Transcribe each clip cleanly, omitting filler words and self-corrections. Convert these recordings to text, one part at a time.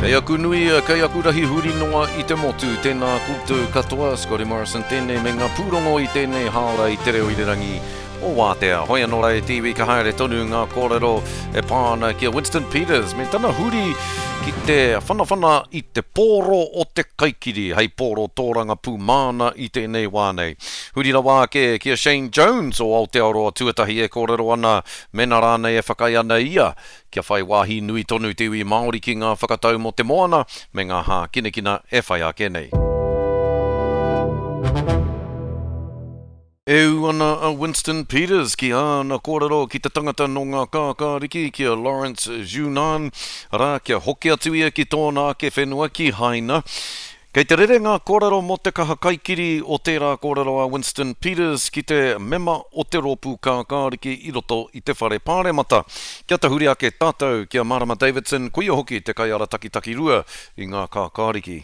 Kei aku nui, kei aku rahi huri noa i te motu. Tēnā koutou katoa, Scotty Morrison tēnei me ngā pūrongo i tēnei hāora i te reo irirangi o Wātea. Hoi anō rā e te iwi ka haere tonu ngā kōrero e pā ana ki a Winston Peters me tana huri ki te whanawhana i te pōro o te kaikiri hei pōro tōrangapū māna i tēnei wā nei. Huri rawa ake ki a Shane Jones o Aotearoa Tuatahi e kōrero ana mēnā rānei e whakaae ana ia kia whai wāhi nui tonu te iwi Māori ki ngā whakatau mō te moana me ngā hākinakina e whai ake nei. E ū ana a Winston Peters ki āna kōrero ki te tangata nō ngā kākāriki, ki a Lawrence Zhunan, arā, kia hoki atu ia ki tōna ake whenua, ki Haina. Kei te rere ngā kōrero mō te kaha kaikiri o tērā kōrero a Winston Peters ki te mema o te rōpū kākāriki i roto i te Whare Pāremata. Kia tahuri ake tātou ki a Marama Davidson, koia hoki te kaiarataki takirua i ngā kākāriki.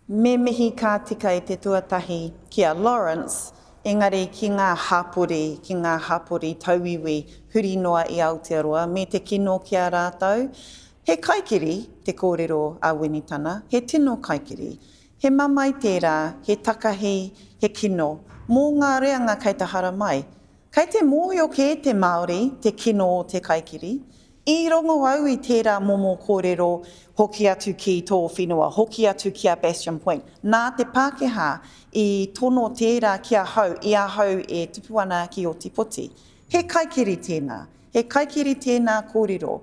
Me mihi ka tika i te tuatahi ki a Lawrence, engari ki ngā hapori, ki ngā hapori tauiwi huri noa i Aotearoa, me te kino ki a rātou. He kaikiri te kōrero a Winitana, he tino kaikiri. He mamae tērā, he takahi, he kino, mō ngā reanga kei te haramai. Kei te mōhio kē te Māori te kino o te kaikiri. I rongo au i tērā momo kōrero hoki atu ki tō whenua, hoki atu ki a Bastion Point. Nā te Pākehā i tono tērā ki ahau i ahau e tupu ana ki Ōtepoti. He kaikiri tēnā. He kaikiri tēnā kōrero.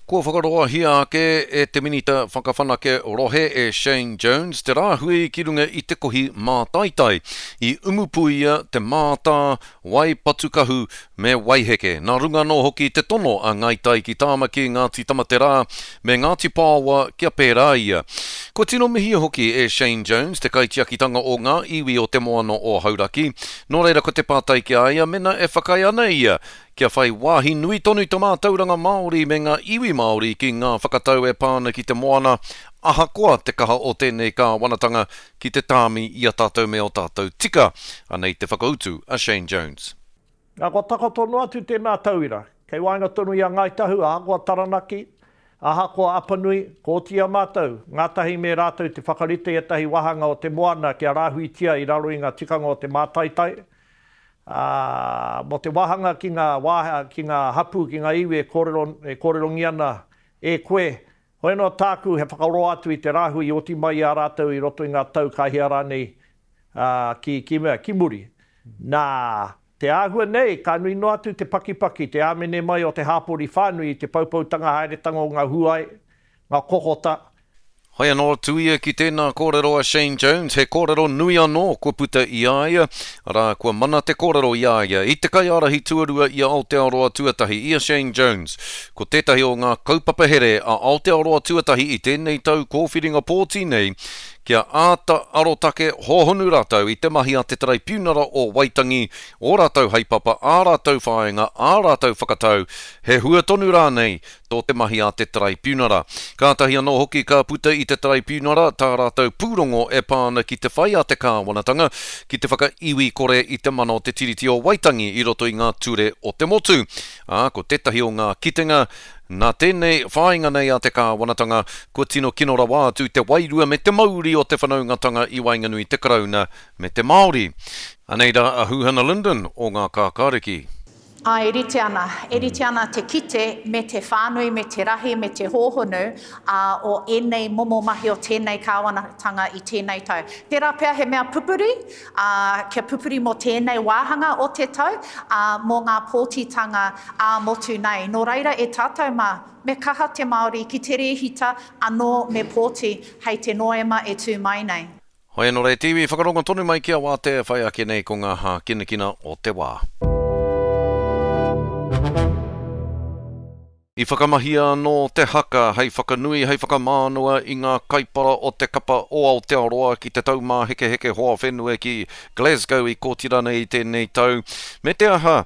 Kua whakaroahia ake e te Minita Whakawhanake Rohe e Shane Jones te rāhui ki runga i te kohi mātaitai i Umupuia, Te Mātā, Waipatukahu me Waiheke. Nā runga anō hoki te tono a Ngāi Tai ki Tāmaki, Ngāti Tamaterā me Ngāti Paoa kia pērā ia. Kua tino mihia hoki e Shane Jones te kaitiakitanga o ngā iwi o te moana o Hauraki, nō reira ko te pātai ki a ia mena e whakaae ana ia Kia whai wāhi nui tonu te mātauranga Māori me ngā iwi Māori ki ngā whakatau e pā ana ki te moana, ahakoa te kaha o tēnei kāwanatanga ki te tāmi i a tātou me ō tātou tika. Anei te whakautu a Shane Jones. Nā, kua takoto noa atu tēnā tauira, kei waenga tonu i a Ngāi Tahu, ahakoa Taranaki, ahakoa Apanui, kua oti i a mātou, ngātahi me rātou te whakarite i ētahi wāhanga o te moana kia rāhuitia i raro i ngā tikanga o te mātaitai, Ā, mō te wāhanga ki ngā wā, ki ngā hapū, ki ngā iwi e kōrero, e kōrerongia ana e koe, hoi anō tāku he whakaroa atu i te rāhui i oti mai i a rātou i roto i ngā tau ka hia rānei, ā, ki, ki mea, ki muri. Nā, te āhua nei, ka nui noa atu te pakipaki, te āmene mai o te hāpori whānui i te poupoutanga haeretanga o ngā huai, ngā kokota, Hai anō atu ia ki tēnā kōrero a Shane Jones, he kōrero nui anō kua puta i a ia, arā, kua mana te kōrero i a ia, i te kaiārahi tuarua i a Aotearoa Tuatahi, i a Shane Jones. Ko tētahi o ngā kaupapa here a Aotearoa Tuatahi i tēnei tau kōwhiringa pōti nei, kia āta arotake hōhonu rātou i te mahi a te Taraipiunara o Waitangi, ō rātou haepapa, ā rātou whāinga, ā rātou whakatau, he hua tonu rānei tō te mahi a te Taraipiunara. Kātahi anō hoki ka puta i te Taraipiunara tā rātou pūrongo e pā ana ki te whai a te kāwanatanga ki te whakaiwi kore i te mana o te Tiriti o Waitangi i roto i ngā ture o te motu. Ā, ko tētahi o ngā kitenga, nā tēnei whāinga nei a te kāwanatanga, kua tino kino rawa atu te wairua me te mauri o te whanaungatanga i waenganui i te Karauna me te Māori. Anei rā a Huhana Lyndon o Ngā Kākāriki. Āe, e rite ana. E rite ana te kite me te whānui, me te rahi, me te hōhonu, ā, o ēnei momo mahi o tēnei kāwanatanga i tēnei tau. Tērā pea he mea pupuri, ā, kia pupuri mō tēnei wāhanga o te tau, ā, mō ngā pōtitanga ā-motu nei. Nō reira, e tātou mā, me kaha te Māori ki te rēhita anō me pōti hei te Noema e tū mai nei. Hoi anō re te iwi, whakarongo tonu mai ki a Wātea e whai ake nei ko ngā hākinakina o te wā. I whakamahia anō te haka hei whakanui, hei whakamānawa i ngā kaipara o te kapa o Aotearoa ki te Taumāhekeheke Hoa Whenua ki Glasgow i Kōtirana i tēnei tau. Me te aha,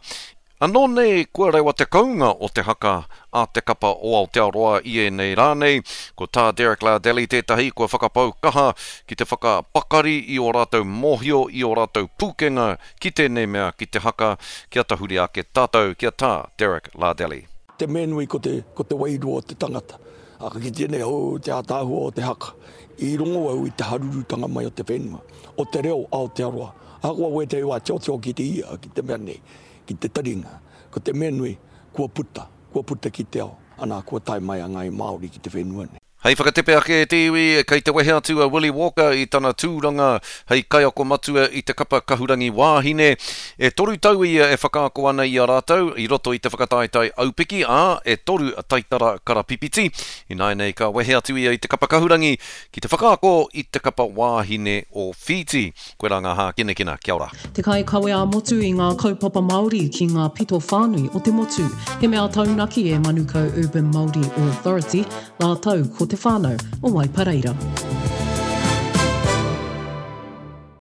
Anō nei kua rewa te kounga o te haka a te kapa o Aotearoa i ēnei rā nei, ko tā Derek Lardelli tētahi kua whakapau kaha ki te whakapakari i ō rātou mōhio, i ō rātou pūkenga ki tēnei mea ki te haka, kia tahuri ake tātou ki a Tā Derek Lardelli. Te mea nui ko te, ko te wairua o te tangata. Ā, ka kitea nei, oh, te ātaahua o te haka. I rongo au i te harurutanga mai o te whenua, o te reo Aotearoa. Ahakoa wētahi wā tiotio ki te ia, ki te mea nei, ki te taringa, ko te mea nui, kua puta, kua puta ki te ao, anā, kua tae mai a Ngāi Māori ki te whenua nei. Hei whakatepe ake e te iwi, kei te wehe atu a Willie Walker i tana tūranga hei kaiako matua i te kapa kahurangi wāhine. E toru tau ia e whakaako ana i a rātou i roto i te whakataetae aupiki, ā, e toru taitara karapipiti. Ināianei ka wehe atu ia i te kapa kahurangi ki te whakaako i te kapa wāhine o Whīti. Koirā ngā hākinakina. Kia ora. Te kaikawe ā-motu i ngā kaupapa Māori ki ngā pito whānui o te motu. He mea taunaki e Manukau Urban Māori Authority rātou ko te whānau o Waipareira.